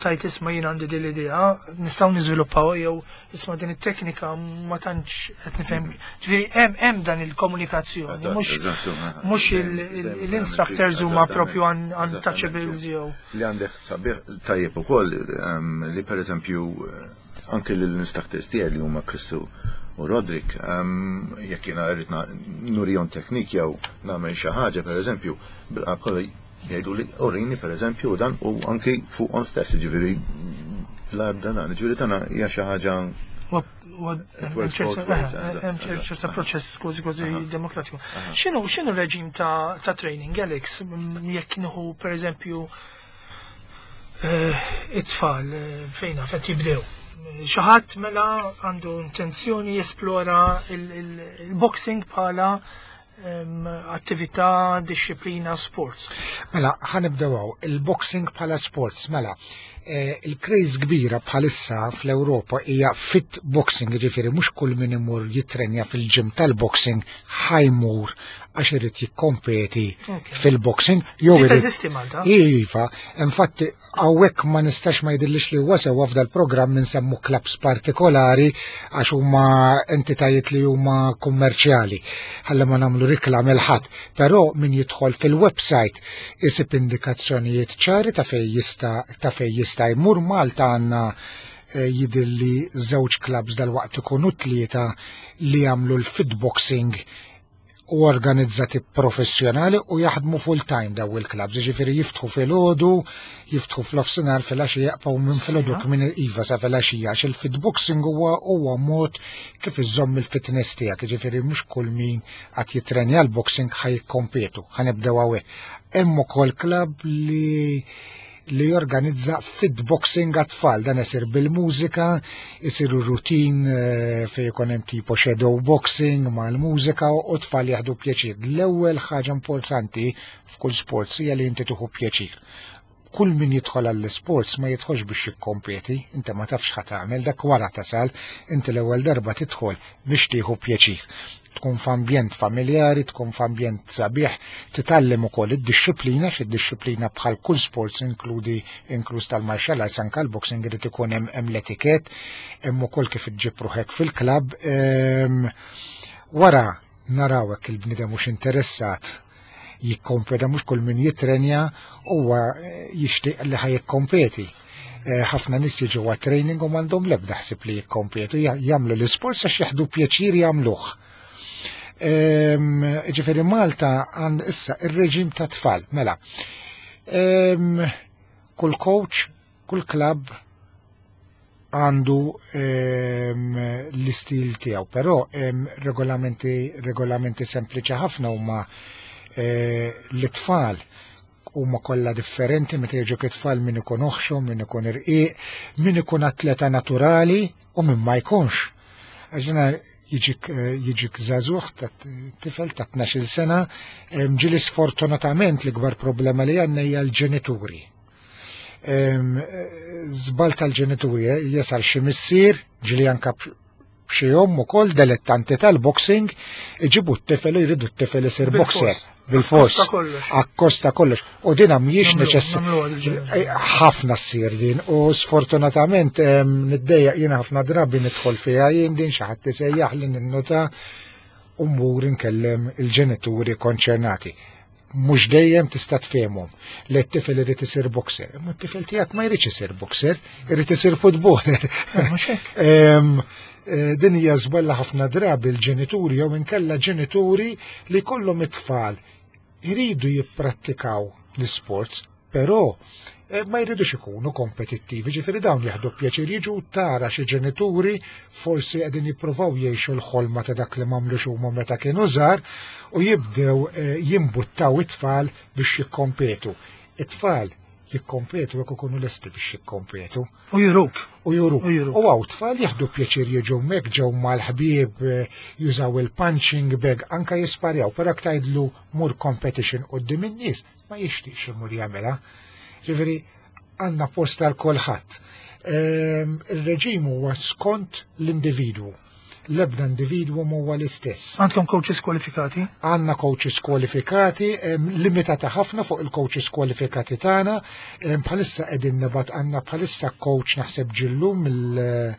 tajt isma' jien għandi din l-idea, nistgħu niżviluppaw jew isma' din it-teknika ma tantx qed nifhem. Ġifieri hemm hemm dan il-komunikazzjoni, mhux mhux l-instructors huma propju untouchables jew. Li għandek sabiħ tajjeb ukoll ehm, li pereżempju eh, anke l-instructors tiegħi li huma Chris u Roderick, ehm, jekk jiena rrid nurihom teknik jew nagħmel xi ħaġa pereżempju, bil-qalb Jgħidu li urini per eżempju dan u anki fuqhom stess, ġifieri bla ebda dan, ġifieri tagħna hija xi ħaġa ċerta proċess kważi kważi demokratiku. X'inhu x'inhu reġim ta' training, Alex, jekk nieħu per eżempju eh, it-tfal eh, fejn qed jibdew. Xi ħadd mela għandu intenzjoni jesplora il-boxing bħala attività, disciplina, sports. Mela, ħanibdew hawn, il-boxing bħala sports, mela, eh, il-craze kbira bħalissa fl-Ewropa hija fit boxing, ġifieri mhux kull min imur jitrenja fil-ġim tal-boxing ħajmur għax irid jikkompeti fil-boxing jew irid. Teżisti Malta? Iva, infatti Hawnhekk ma nistax ma jidhirlix li huwa sewwa f'dal-programm insemmu clubs partikolari għax huma entitajiet li huma kummerċjali. Ħalli ma nagħmlu riklam il ħadd. Però min jidħol fil-website isib indikazzjonijiet ċari ta' fejn jista' ta' fejn jista' jmur Malta għandna eh, jidhirli żewġ clubs dal-waqt ikunu tlieta li jagħmlu l-fitboxing u organizzati professjonali u jaħdmu full time daw il-clubs, ġifieri jiftħu filgħodu, jiftħu fl-ofsinhar filgħaxija jaqbgħu minn filgħodu minn iva sa filgħaxija għax il-fitboxing huwa huwa mod kif iżomm il-fitness tiegħek, ġifieri mhux kull min qed jitrenja l-boxing ħa jikkompetu, ħanibdew hawnhekk. Hemm ukoll club li li jorganizza fit boxing għat-tfal. Dan isir bil-mużika, isiru rutin eh, fejn ikun hemm tipo shadow boxing mal-mużika u tfal jaħdu pjaċir. L-ewwel ħaġa importanti f'kull sports hija li inti tieħu pjaċir. Kull min jidħol għall-sports ma jidħolx biex jikkompeti, inti ma tafx ħa tagħmel, dak wara tasal, inti l-ewwel darba tidħol biex tieħu pjaċir. Tkun f'ambjent familjari, tkun f'ambjent sabiħ, titgħallem ukoll id-dixxiplina, xi dixxiplina bħal kull sports inkludi inkluż tal-martial arts anke l-boxing irid ikun hemm hemm l-etiket, hemm ukoll kif iġġib ruħek fil-klabb. Ehm, wara naraw hekk il-bniedem mhux interessat jikkompeta mhux kull min jitrenja huwa eh, jixtieq li ħaj jikkompeti. Eh, ħafna nies jiġu għat training u m'għandhom l-ebda ħsieb li jikkompetu, jagħmlu l-isports għax jaħdu pjaċir jagħmluh. Ġifieri Malta għand issa ir-reġim ta' tfal, mela. Kull coach, kull klabb għandu l-istil tiegħu, però regolamenti regolamenti sempliċi ħafna huma eh, l-tfal huma kollha differenti meta jiġu it-tfal min ikun oħxu, min ikun irqiq, min ikun atleta naturali u min ma jkunx. Għax jiġik eh, jiġik żagħżugħ ta' tifel ta' 12 sena, ġieli sfortunatament l-ikbar problema li għandna hija l-ġenituri. Żball tal-ġenituri eh, jasal xi missier, ġieli anka b'xi omm ukoll dilettanti tal-boxing, iġibu t-tifel u jridu t-tifel isir boxer. Bil-fors. Akkosta kollox. U dina mhijiex neċessarja. Eh, ħafna ssir din u sfortunatament niddejjaq jiena ħafna drabi nidħol fiha jien din xi ħadd isejjaħ li ninnota u mmur inkellem il-ġenituri konċernati. Mhux dejjem tista' tfehmhom li t-tifel irid isir boxer. Imma t-tifel tiegħek ma jridx isir boxer, irid isir footballer. Eh, eh, din hija żballa ħafna drabi l-ġenituri jew inkella ġenituri li kollhom it-tfal iridu jipprattikaw l-sports, però eh, ma jridux ikunu kompetittivi, ġifieri dawn jieħdu pjaċir jiġu tara xi ġenituri forsi qegħdin jippruvaw jgħixu l-ħolma ta' dak li m'għamlux huma meta kienu żgħar u jibdew eh, jimbuttaw it-tfal biex jikkompetu. It-tfal jikkompetu jekk ikunu lesti biex jikkompetu. U juruk. U juruk. U għaw tfal jieħdu pjaċir jiġu mek ġew mal-ħbieb eh, jużaw il-punching bag anka jisparjaw, però tgħidlu mur competition qudiem in-nies ma jixtieqx imur jagħmilha. Ġifieri għandna post għal kulħadd. Ehm, il-reġim huwa skont l-individwu. L-ebda individwu huwa l-istess. Għandkom coaches kwalifikati? Għandna coaches kwalifikati, ehm, limitata ħafna fuq il-coaches kwalifikati tagħna. Ehm, bħalissa qegħdin nibgħat għandna bħalissa coach naħseb ġillu mill-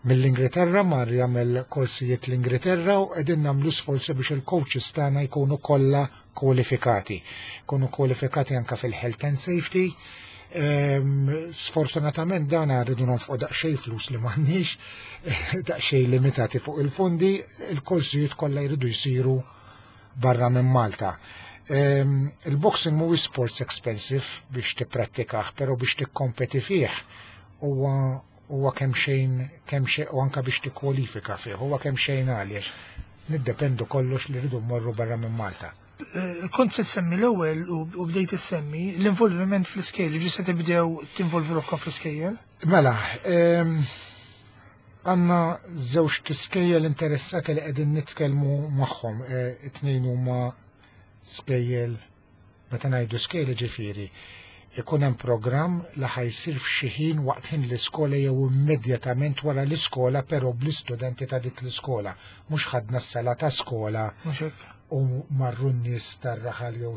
mill-Ingilterra mar jagħmel korsijiet l-Ingilterra u qegħdin nagħmlu sforzi biex il-coaches tagħna jkunu kollha kwalifikati. Kunu kwalifikati anka fil-health and safety. Ehm, sfortunatament dan rridu nonfqu daqsxejn flus li m'għandniex, daqsxejn limitati fuq il-fondi, il-korsijiet kollha jridu jsiru barra minn Malta. Ehm, il-boxing mhuwiex sports expensive biex tipprattikah, però biex tikkompeti fih huwa huwa kemm xejn kemm xejn u anka biex tikkwalifika fih, huwa kemm xejn għaliex niddependu kollox li rridu mmorru barra minn Malta. Eh, kont se semmi l-ewwel u bdejt issemmi l-involviment fl-iskejjel, ġi se tibdew tinvolvi ruħkom fl-iskejjel? Mela, ehm, għandna żewġ tiskejjel interessati li qegħdin nitkellmu magħhom, eh, it-tnejn huma skejjel Meta ngħidu skejjel jiġifieri ikun hemm programm li ħa jsir f'xi ħin waqt ħin l-iskola jew immedjatament wara l-iskola però bl-istudenti ta' dik l-iskola. Mhux ħadna s-sala ta' skola u marru n-nies tar-raħal jew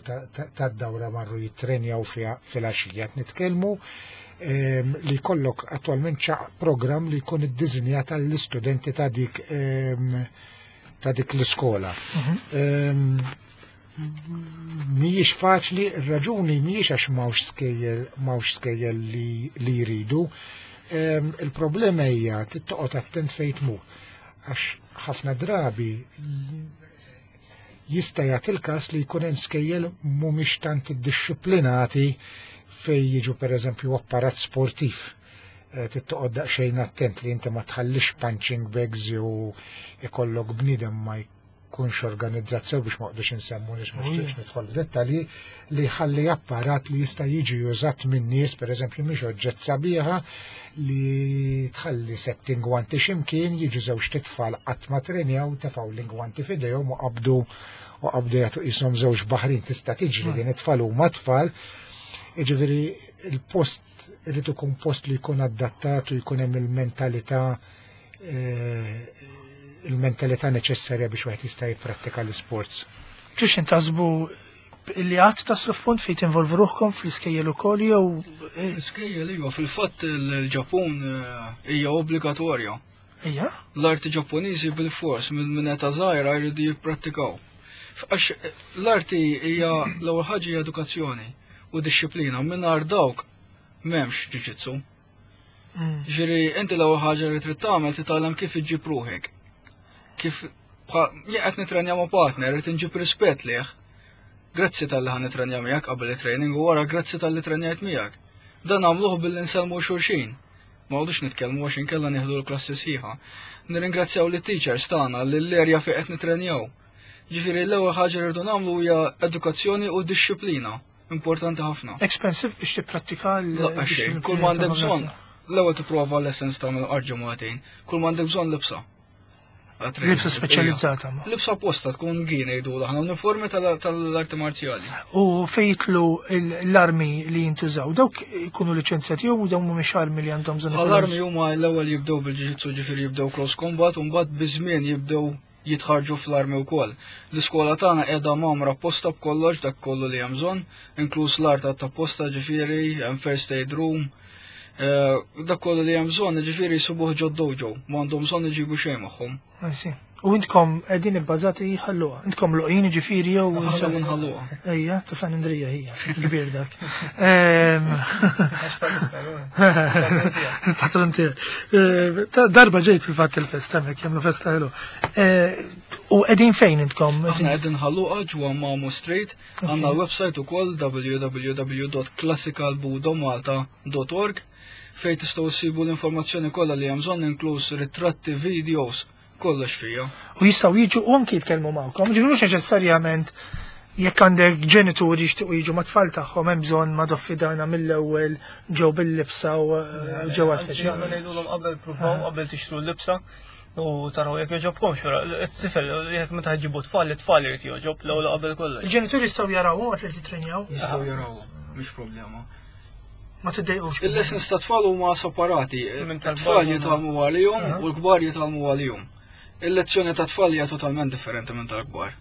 tad-dawra marru jittrenjaw fiha filgħaxija. Qed nitkellmu ehm, li jkollok attwalment ċaq programm li jkun iddiżinjat għall-istudenti ta' dik ehm, ta' dik l-iskola. Mhm. Ehm, Mhijiex faċli, ir-raġuni mhijiex għax m'hawnx skejjel m'hawnx skejjel li, li jridu. Il-problema hija tittoqgħod attent fejn tmur. Għax ħafna drabi jista' jagħti l-każ li jkun hemm skejjel mhumiex tant iddixxiplinati fejn jiġu pereżempju apparat sportiv. Eh, tittoqgħod daqsxejn attent li inti ma tħallix punching bags jew ikollok bniedem ma jkunx organizzat sew biex ma qdux insemmu nix ma xtieqx nidħol f'dettalji li jħalli apparat li jista' jiġi użat minn nies, pereżempju mhix oġġett sabiħa li tħalli sett ingwanti x'imkien jiġu żewġ titfal qatt ma trenjaw tefgħu l-ingwanti f'idejhom u qabdu u qabdu jagħtu qishom żewġ baħrin tista' tiġri din it-tfal huma tfal. Jiġifieri il-post irid ikun post li jkun adattat u jkun hemm il-mentalità eh, il-mentalità neċessarja biex wieħed jista' jipprattika l-isports. Christian taħsbu li għad taslu f'punt fejn tinvolvu ruħkom fl-iskejjel ukoll jew eh, L-iskejjel iva, fil-fatt il-Ġapun eh, hija obbligatorja. Ija? L-arti Ġappuniżi bil-fors minn minn età żgħira jridu jipprattikaw. Għax eh, l-arti hija l-ewwel ħaġa hija edukazzjoni u dixxiplina mingħajr dawk m'hemmx ġuġitsu. Mm. Ġifieri inti l-ewwel ħaġa li trid tagħmel titgħallem kif iġġib ruħek. Kif Jien qed nitrenja ma' partner, irid inġib rispett lih. Grazzi talli ħa nitrenja miegħek qabel it-training u wara grazzi talli trenjajt miegħek. Dan nagħmluh billi nsellmu xulxin. Ma għodux nitkellmu għax inkella nieħdu l-klassi sħiħa. Nirringrazzjaw lit-teachers tagħna lill-erja fejn qed nitrenjaw. Ġifieri l-ewwel ħaġa li rridu nagħmlu hija edukazzjoni u dixxiplina. Importanti ħafna. Expensive biex tipprattika l xejn, kull ma għandek bżonn. L-ewwel tipprova lessons tagħmel ġimagħtejn, kull ma għandek bżonn libsa. Libsa speċjalizzata. Libsa apposta tkun gi ngħidu aħna uniformi tal-arti marzjali. U fejtlu l-armi li jintużaw, dawk ikunu liċenzjati jew dawn mhumiex armi li għandhom bżonn. L-armi huma l-ewwel jibdew bil-ġiġitsu ġifieri jibdew close combat u mbagħad biż-żmien jibdew jitħarġu fl-armi wkoll. L-iskola tagħna qiegħda mgħammra apposta b'kollox dak kollu li hemm bżonn, inkluż l-art apposta ġifieri, hemm first aid room, eh, dak kollu li hemm bżonn ġifieri jsibuh ġod dojo, ma għandhom bżonn iġibu xejn magħhom. U intkom qegħdin ibbażati ħalluha. Intkom loqin ġifieri jew Aħna minn ħalluha. Ejja, ta' San Andrija hija, kbir dak. Il-patron tiegħek. Darba ġejt fil-fatt il-festa hemmhekk jagħmlu festa ħelu. U qegħdin fejn intkom? Aħna qegħdin ħalluqa ġewwa Mamu Street, għandna website ukoll www.classicalbudomalta.org fejn tistgħu ssibu l-informazzjoni kollha li hemm bżonn inkluż ritratti, videos, kollox fija. U jistgħu jiġu u anki jitkellmu magħkom, ġifieri mhux neċessarjament jekk għandek ġenituri jixtiequ jiġu mat-tfal tagħhom hemm bżonn ma doffidana mill-ewwel ġew bil-libsa u eh, ġew għas Aħna ngħidulhom qabel pruvaw ah. qabel tixtru l-libsa u taraw jekk jogħġobkom xura. It-tifel jekk meta ġibu tfal, it-tfal irid jogħġob l-ewwel qabel kollox. Il-ġenituri jistgħu jaraw waqt li jitrenjaw. Jistgħu jaraw, mhix problema. Ma tiddejqux. Il-lessons ta' tfal huma separati. Tfal jitgħallmu għalihom u l-kbar jitgħallmu għalihom. Il-lezzjoni ta' tfal hija totalment differenti minn tal-kbar.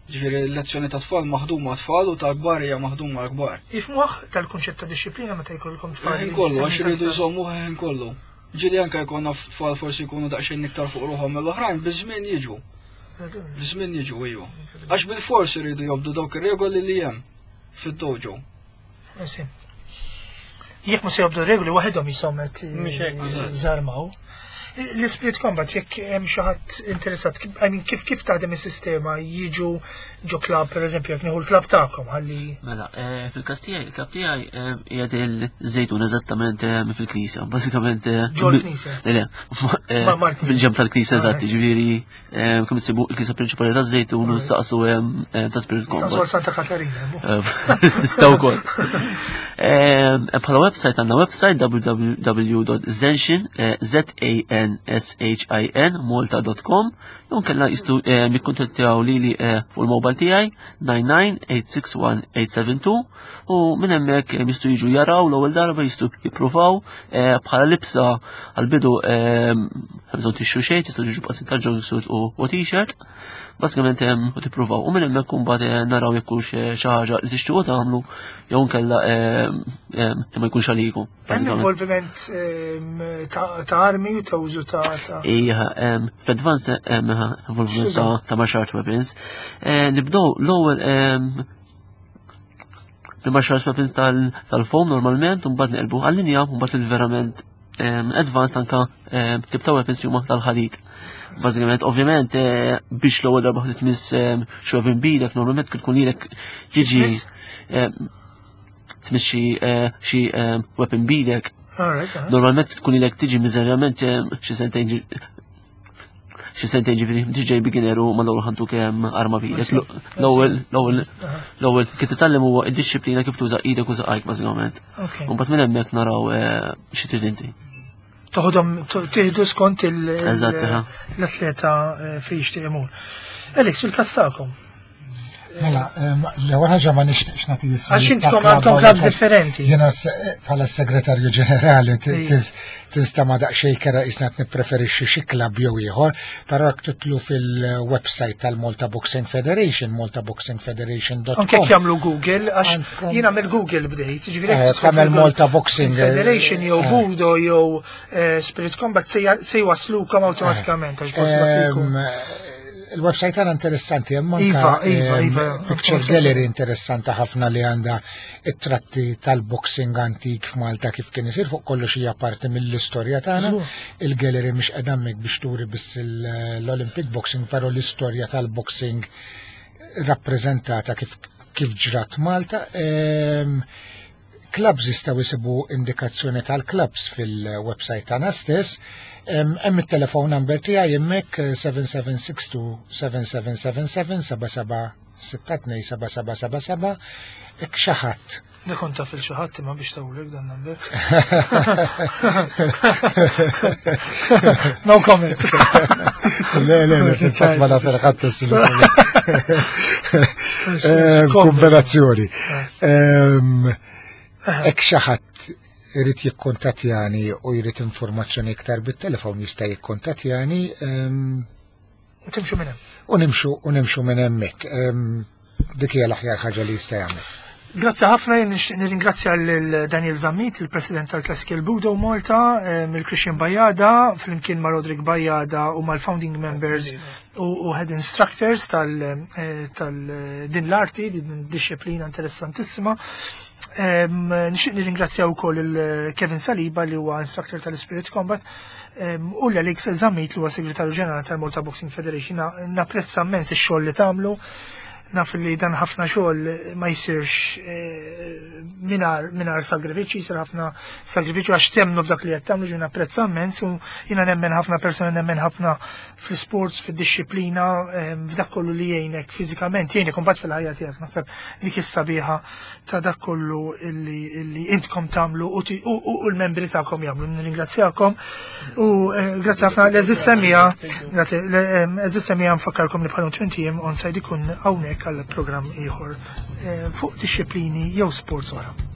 Ġifieri l-lezzjoni ta' tfal maħduma tfal u tal-kbar hija maħduma l-kbar. Jifmuh tal-kunċett ta' disċiplina meta jkollkom tfal. Ħin kollu għax iridu jżommu ħin kollu. Ġieli anke jkollna tfal forsi jkunu daqsxejn iktar fuq ruħhom mill-oħrajn, biż-żmien jiġu. Biż-żmien jiġu iju. Għax bil-fors iridu jobdu dawk ir-regoli li hemm fid-dojo. Jekk ma se jobdu regoli waħedhom jisom qed żarmaw. L-Spirit Combat jekk hemm xi ħadd interessat, I mean, kif kif taħdem is-sistema jiġu ġo klabb pereżempju jekk nieħu l-klabb tagħkom ħalli. Mela, eh, fil-każ tiegħi, il-klabb tiegħi eh, qiegħed il-żejtun eżattament eh, fil-knisja, bażikament. Ġo l-knisja. Le, fil-ġemp tal-knisja eżatt, ġifieri Kemm issibu il-knisja prinċipali ta' Żejtun u saqsu ta' Spirit Combat. Saqsu Santa Katarina. Tistgħu wkoll. Bħala website għandna website www.zenshin z a n s h i n malta.com jew kellna jistgħu jikkuntattjaw lili fuq il-mobile tiegħi 99861872 u minn hemmhekk eh, jistgħu jiġu jaraw l-ewwel darba jistgħu jippruvaw eh, bħala libsa għall-bidu eh, bżonn tixtru xejn, tistgħu jiġu b'qasim ta' jogging u t-shirt. Bażikament u tippruvaw u minn hemmhekk imbagħad naraw jekk hux xi ħaġa li tixtiequ tagħmlu jew nkella li ma jkunx għalikom. Hemm involviment ta' armi u ta' użu ta' Ija, f'advanced involviment ta' martial arts weapons. Nibdew l-ewwel L-martial arts weapons tal-foam normalment, un mbagħad neqlbu għall-linja, u mbagħad il-verament advanced anka tip ta' weapons huma tal-ħadid. Bażikament, ovvjament, eh, biex l-ewwel darba ħdiet miss xi weapon bidek, normalment kien tkun lilek tiġi tmiss xi eh, weapon bidek. Normalment tkun ilek tiġi miżerjament xi sentejn xi sentejn ġifieri m'intix ġej beginner u mal-ewwel ħantu kemm arma b'idek. L-ewwel l-ewwel l-ewwel kif titgħallem huwa id-dixxiplina kif tuża idek u saqajk bażikament. U mbagħad minn hemmhekk naraw eh, xi trid inti. Toħodhom tieħdu skont l-atleta eh, fejn jixtieq imur. Alex, il-każ tagħkom. Mela, l-ewwel ħaġa ma nixtieqx nagħti jismi. Għax intkom għandkom klabb differenti. Jiena bħala segretarju ġenerali tista' ma daqsxejn kera qisna qed nippreferixxi xi klabb jew ieħor, però jekk titlu fil-website tal-Malta Boxing Federation, maltaboxingfederation.com. Anke jagħmlu Google, għax jiena mill-Google bdejt, ġifieri eh, tagħmel Malta Boxing eh, Federation jew eh. Budo jew Spirit Combat se jwaslukom awtomatikament. Il-website għana interessanti, hemm anka Iva, iva, iva. picture gallery interessanti ħafna li għandha it-tratti tal-boxing antik f'Malta kif kien isir fuq kollox hija parti mill-istorja tagħna. Il-gallery mhix qiegħda hemmhekk biex turi biss l-Olympic Boxing, però l-istorja tal-boxing rappreżentata kif kif ġrat Malta. Clubs jistgħu jsibu indikazzjoni tal-clubs fil-website tagħna stess. Hemm it-telephone number tiegħi hemmhekk 7762 7777 7762 7777 hekk xi ħadd. Nikon taf il xi ħadd imma biex tawlek dan number. No comment. Le, le, le, fil-fatt ma naf il-ħadd Kombinazzjoni. Hekk xi ħadd irid jikkontattjani u jrid informazzjoni iktar bit-telefon jista' jikkontattjani Timxu minn hemm. U nimxu u nimxu minn hemmhekk. Dik hija l-aħjar ħaġa li jista' jagħmel. Grazzi ħafna, jien nixtieq nirringrazzja lil Daniel Zammit, il-President tal-Classical Budo Malta, il-Christian Bajada, flimkien ma' Roderick Bajada u mal-founding members u head instructors tal din l-arti, din disciplina interessantissima. Nixtieq nirringrazzja wkoll il-Kevin Saliba li huwa instructor tal-Spirit Combat u l-Alex Zammit li huwa segretarju ġenerali tal-Malta Boxing Federation. Napprezza immens ix-xogħol li tagħmlu. Naf li dan ħafna xogħol ma jsirx mingħajr sagrifiċċji, jsir ħafna sagrifiċċju għax temnu f'dak li qed tagħmlu, ġifieri napprezza immens u jiena nemmen ħafna persuni, nemmen ħafna fl-sports, fid-disciplina, f'dak kollu li jgħinek fiżikament, jgħinek imbagħad fil-ħajja tiegħek. Naħseb dik is-sabiħa ta' dak kollu illi intkom tagħmlu u l-membri tagħkom jagħmlu. Nirringrazzjakom u grazzi ħafna l-eżis semija, grazzi, l-eżis semija nfakkarkom li bħalhom 20 jiem onside ikun hawnhekk għal programm ieħor fuq disciplini jew sports oħra.